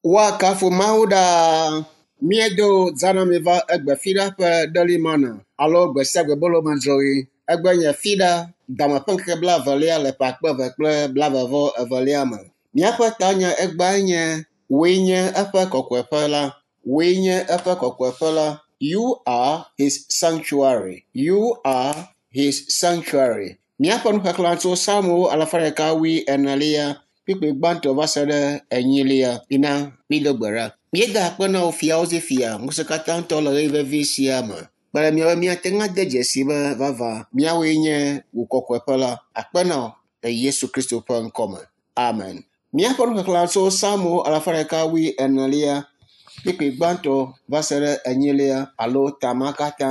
Woakafu Mawu ɖaa. Míedo zã na mi va egbe fiɖa ƒe ɖelimana alo gbe sia gbe bolomedzroɣi. Egbe nye fiɖa dame ƒe ŋkeke blaevelia le ƒe akpe eve kple blaeve vɔ evelia me. Míaƒe tanya egbea nye wòe nye eƒe kɔkɔeƒe la. Wòe nye eƒe kɔkɔeƒe la. You are his sanctuary. You are his sanctuary. Míaƒe nuxexlẽ tso Psalmowo alafa ɖeka wui enelia kpukpui gbãtɔ va se ɖe enyilia. Mina mído gbe ɖa. Míeda akpe na wò fiawo dzi fia ŋusẽkatãtɔ le ɣeyiɣi vevi sia me. Kpe ɖe míawo míate ŋu ade dzesi be vavã míawoe nye wò kɔkɔeƒe la. Akpe na wò le Yesu Kristo ƒe ŋkɔme. Amen. Míaƒe nuxexlẽ tso Psalmo alafa ɖeka wui enelia kpukpui gbãtɔ va se ɖe enyilia alo tama katã.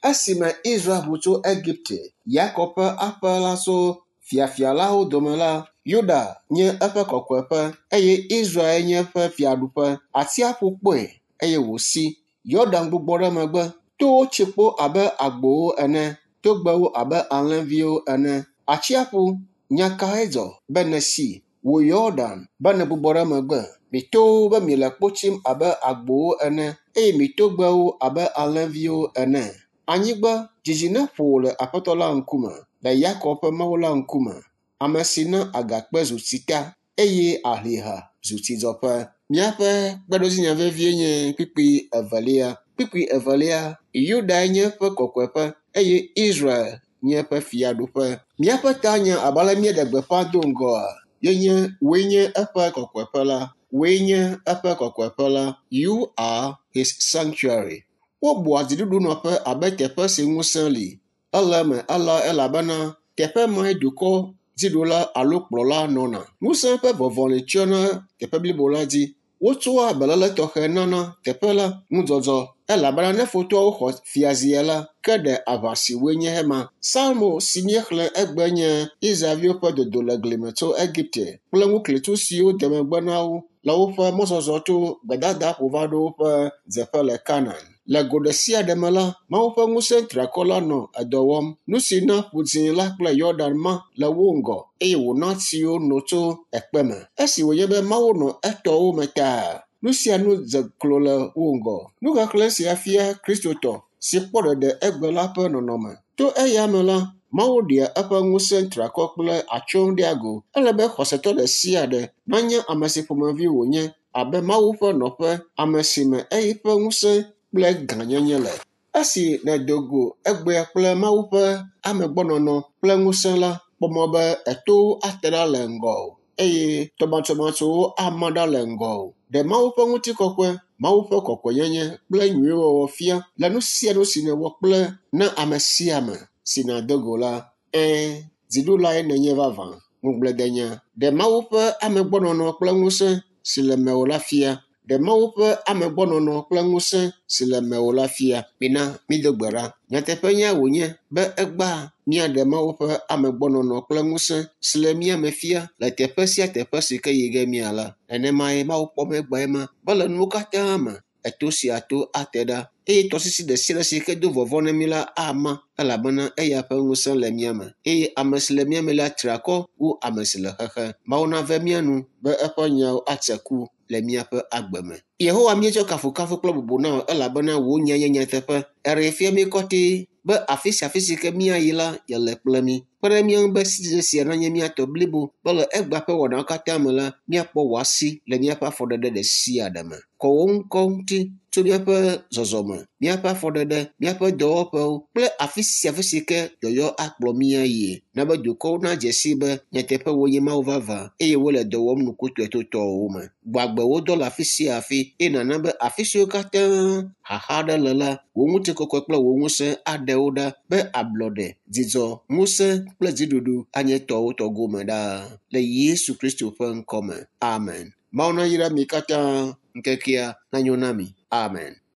Esime Israel ʋu tso Egipte, Yakob ƒe aƒe la tso fiafialawo dome la, Yuda nye eƒe kɔkɔeƒe eye Israel nye eƒe fiaɖuƒe. Atsiaƒu kpɔe eye wòsi. Yɔdan gbugbɔ ɖe megbe. Towo tsi kpo abe agbowo ene, togbɛwo abe alẽviwo ene. Atsiaƒu, nya kae dzɔ be nèsi? Wò Yɔdan be nègbugbɔ ɖe megbe. Mi towo be miele kpo tsim abe agbowo ene eye mi togbɛwo abe alẽviwo ene. Anyigba, dzidzi neƒo wò le Aƒetɔ la ŋkume, le Yakob ƒe Mawu la ŋkume, ame si na agakpe zu tsita eye ahliha zu tsidzɔƒe. Míaƒe kpeɖodzinya vevie nye kpukpui evelia. Kpukpui evelia, Yudae nye eƒe kɔkɔeƒe eye Israel nye eƒe fiaɖuƒe. Míaƒe tanya abe ale míeɖe gbeƒã do ŋgɔa, ye nye wòe nye eƒe kɔkɔeƒe la. Wòe nye eƒe kɔkɔeƒe la. You are his sanctuary. Wobua dziɖuɖunɔƒe abe teƒe si ŋusẽ li. Ele eme alea elabena teƒe mae dukɔ dziɖula alo kplɔla nɔna. Ŋusẽ ƒe vɔvɔli tsyɔna teƒe blibo la dzi. Wotsɔa beléle tɔxɛ nana teƒe la ŋudzɔdzɔ elabena ne futɔawo xɔ fiazia la, ke ɖe aʋa si woe nye ema. Psalmo si míexlẽ egbe nye Israelviwo ƒe dodo le glime tso Egipte kple ŋuklẽtsu siwo de megbe na wo le woƒe mɔzɔzɔ tso gbedadaƒo va ɖo woƒe dzeƒe le Kanaan. Le go ɖe sia ɖe me la, Mawu ƒe ŋusẽ triakɔ la nɔ edɔ wɔm. Nu si na Ƒu Dzĩ la kple Yɔdan ma le wo ŋgɔ eye wòna tsiwo no tso ekpe me. Esi wònye be Mawu nɔ etɔwo me taa, nu sia nu dze klo le wo ŋgɔ. Nuxexlẽ sia fia Kristotɔ si kpɔ ɖeɖe egbe la ƒe nɔnɔme. To eya me la, Mawu ɖea eƒe ŋusẽ triakɔ kple atsyɔ̃ ɖea go. Ele be xɔsetɔ ɖe sia ɖe nanya ame si ƒomevi wònye abe Mawu ƒe nɔƒe, ame si me eƒe ŋusẽ kple gãnyenye le. Esi nèdo go egbea kple Mawu ƒe amegbɔnɔnɔ kple ŋusẽ la, kpɔ mɔ be etowo ate ɖa le ŋgɔwò eye tɔmatsomatsowo ama ɖa le ŋgɔwò. Ɖe Mawu ƒe ŋutikɔkɔe, Mawu ƒe kɔkɔenyenye kple nyuiwɔwɔ fia le nu sia nu si nèwɔ kple na ame sia ame si nàdo go la. Ɛ̃, dziɖulae nènye vavã. Ŋugbledenya. Ɖe Mawu ƒe amegbɔnɔnɔ kple ŋusẽ si le mewò la fia. Ɖe Mawu ƒe amegbɔnɔnɔ kple ŋusẽ si le mewò la fia. Mina mído gbe ɖa. Nyateƒenya wònye be egbea míaɖe Mawu ƒe amegbɔnɔnɔ kple ŋusẽ si le mía me fia le teƒe sia teƒe si ke yi ge míala. Nenemae Mawu kpɔm egbeae ma be le nuwo katã me, eto sia to ate ɖa eye tɔsisi ɖe sia ɖe si ke do vɔvɔ̃ na mí la ama elabena eya ƒe ŋusẽ le mía me eye ame si le mía me la tri akɔ wu ame si le xexe. Mawu nave mía nu be eƒe nyawo atse ku le míaƒe agbe me. Yehowa míetsɔ kafukafu kple bubu na wò elabena wò nya nye nyateƒe. Eɖee fia mí kɔtɛ be afi sia afi si ke míayi la, yele kple mí. Kpe ɖe mía ŋu be sidzedze sia nanye mía tɔ blibo be le egbea ƒe wɔnawo katã me la, míakpɔ wò asi le míaƒe afɔɖeɖe ɖe sia ɖe me. Kɔ wò ŋkɔ ŋuti tso míaƒe zɔzɔme, míaƒe afɔɖeɖe, míaƒe dɔwɔƒewo kple afi sia afi si ke yɔyɔ akplɔ mí ayie. Na be dukɔwo nadze sii be nyateƒe wonye Mawu vavã eye wole dɔ wɔm nukutɔe to tɔwòwo me. Gbɔ agbe wò dɔ le afi sia afi eye nàna be afi siwo katã xaxa aɖe le la, wò ŋutikɔkɔe kple wò ŋusẽ aɖe wo ɖa be ablɔɖe, dzidzɔ, ŋusẽ kple dziɖuɖu anye tɔwò tɔ gome ɖaa. Le Yesu Kristo ƒe ŋkɔ me. Amen. Mawu nayra mi katã. Ŋkekea nanyo na mi. Amen.